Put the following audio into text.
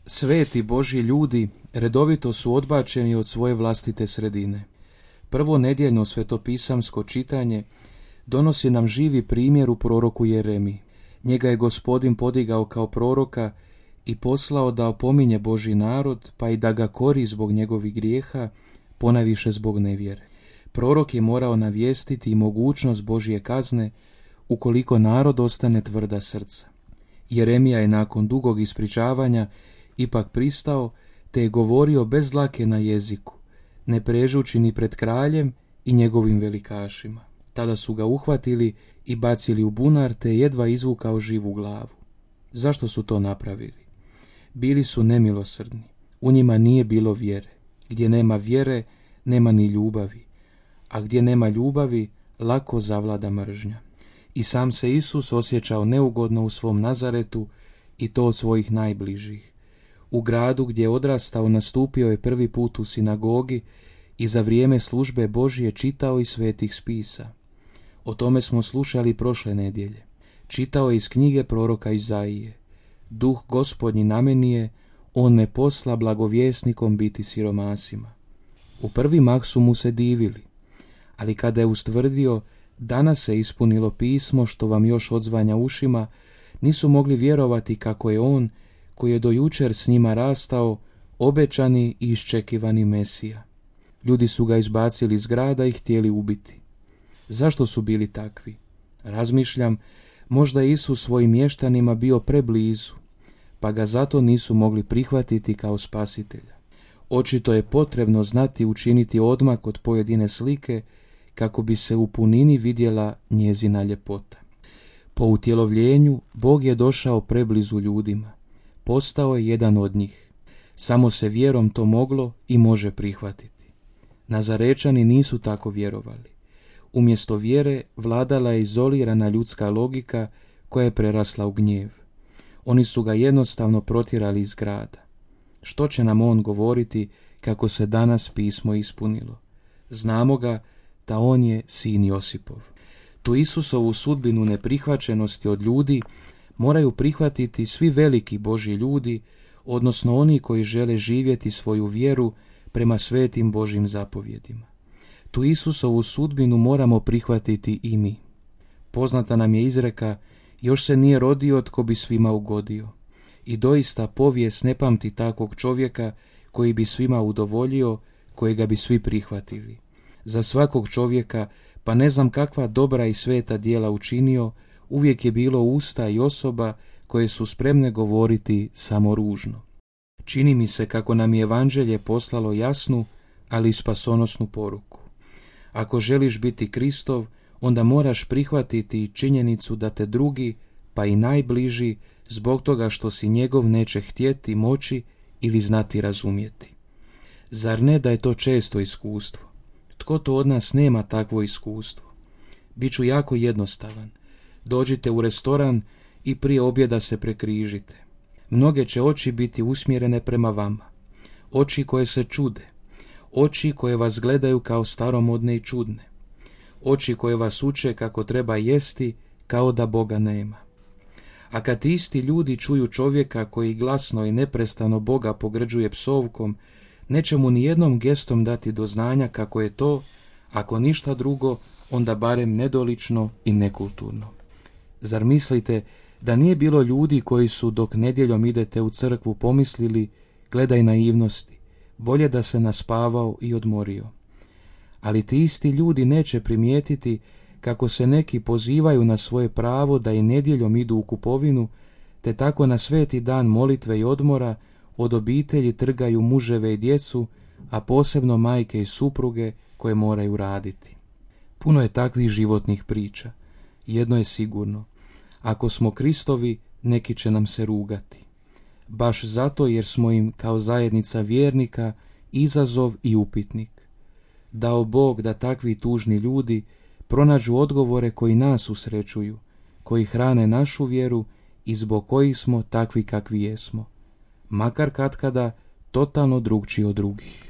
Sveti Božji ljudi redovito su odbačeni od svoje vlastite sredine. Prvo nedjeljno svetopisamsko čitanje donosi nam živi primjer u proroku Jeremiji. Njega je Gospodin podigao kao proroka i poslao da opominje Božji narod, pa i da ga kori zbog njegovih grijeha, ponajviše zbog nevjere. Prorok je morao navijestiti i mogućnost Božje kazne ukoliko narod ostane tvrda srca. Jeremija je nakon dugog ispričavanja ipak pristao, te je govorio bez dlake na jeziku, ne prežući ni pred kraljem i njegovim velikašima. Tada su ga uhvatili i bacili u bunar, te je jedva izvukao živu glavu. Zašto su to napravili? Bili su nemilosrdni, u njima nije bilo vjere. Gdje nema vjere, nema ni ljubavi, a gdje nema ljubavi, lako zavlada mržnja. I sam se Isus osjećao neugodno u svom Nazaretu, i to od svojih najbližih. U gradu gdje je odrastao nastupio je prvi put u sinagogi i za vrijeme službe Božje čitao iz svetih spisa. O tome smo slušali prošle nedjelje. Čitao je iz knjige proroka Izaije. Duh Gospodnji na meni je, on me posla blagovjesnikom biti siromasima. U prvi mah su mu se divili, ali kada je ustvrdio danas se ispunilo pismo što vam još odzvanja ušima, nisu mogli vjerovati kako je on, koji je do jučer s njima rastao, obećani i iščekivani Mesija. Ljudi su ga izbacili iz grada i htjeli ubiti. Zašto su bili takvi? Razmišljam, možda je Isus svojim mještanima bio preblizu, pa ga zato nisu mogli prihvatiti kao spasitelja. Očito je potrebno znati učiniti odmak od pojedine slike kako bi se u punini vidjela njezina ljepota. Po utjelovljenju Bog je došao preblizu ljudima. Postao je jedan od njih. Samo se vjerom to moglo i može prihvatiti. Nazarečani nisu tako vjerovali. Umjesto vjere vladala je izolirana ljudska logika koja je prerasla u gnjev. Oni su ga jednostavno protjerali iz grada. Što će nam on govoriti kako se danas pismo ispunilo? Znamo ga da on je sin Josipov. Tu Isusovu sudbinu neprihvaćenosti od ljudi moraju prihvatiti svi veliki Božji ljudi, odnosno oni koji žele živjeti svoju vjeru prema svetim Božjim zapovjedima. Tu Isusovu sudbinu moramo prihvatiti i mi. Poznata nam je izreka, još se nije rodio tko bi svima ugodio. I doista povijest ne pamti takvog čovjeka koji bi svima udovoljio, kojega bi svi prihvatili. Za svakog čovjeka, pa ne znam kakva dobra i sveta djela učinio, uvijek je bilo usta i osoba koje su spremne govoriti samo ružno. Čini mi se kako nam je evanđelje poslalo jasnu, ali i spasonosnu poruku. Ako želiš biti Kristov, onda moraš prihvatiti i činjenicu da te drugi, pa i najbliži, zbog toga što si njegov neće htjeti, moći ili znati razumjeti. Zar ne da je to često iskustvo? Tko to od nas nema takvo iskustvo? Biću jako jednostavan. Dođite u restoran i prije objeda se prekrižite. Mnoge će oči biti usmjerene prema vama. Oči koje se čude. Oči koje vas gledaju kao staromodne i čudne. Oči koje vas uče kako treba jesti kao da Boga nema. A kad isti ljudi čuju čovjeka koji glasno i neprestano Boga pogrđuje psovkom, neće mu nijednom gestom dati do znanja kako je to, ako ništa drugo, onda barem nedolično i nekulturno. Zar mislite da nije bilo ljudi koji su dok nedjeljom idete u crkvu pomislili, gledaj naivnosti, bolje da se naspavao i odmorio. Ali ti isti ljudi neće primijetiti kako se neki pozivaju na svoje pravo da i nedjeljom idu u kupovinu, te tako na sveti dan molitve i odmora od obitelji trgaju muževe i djecu, a posebno majke i supruge koje moraju raditi. Puno je takvih životnih priča. Jedno je sigurno. Ako smo Kristovi, neki će nam se rugati. Baš zato jer smo im kao zajednica vjernika izazov i upitnik. Dao Bog da takvi tužni ljudi pronađu odgovore koji nas usrećuju, koji hrane našu vjeru i zbog kojih smo takvi kakvi jesmo, makar katkada totalno drugčiji od drugih.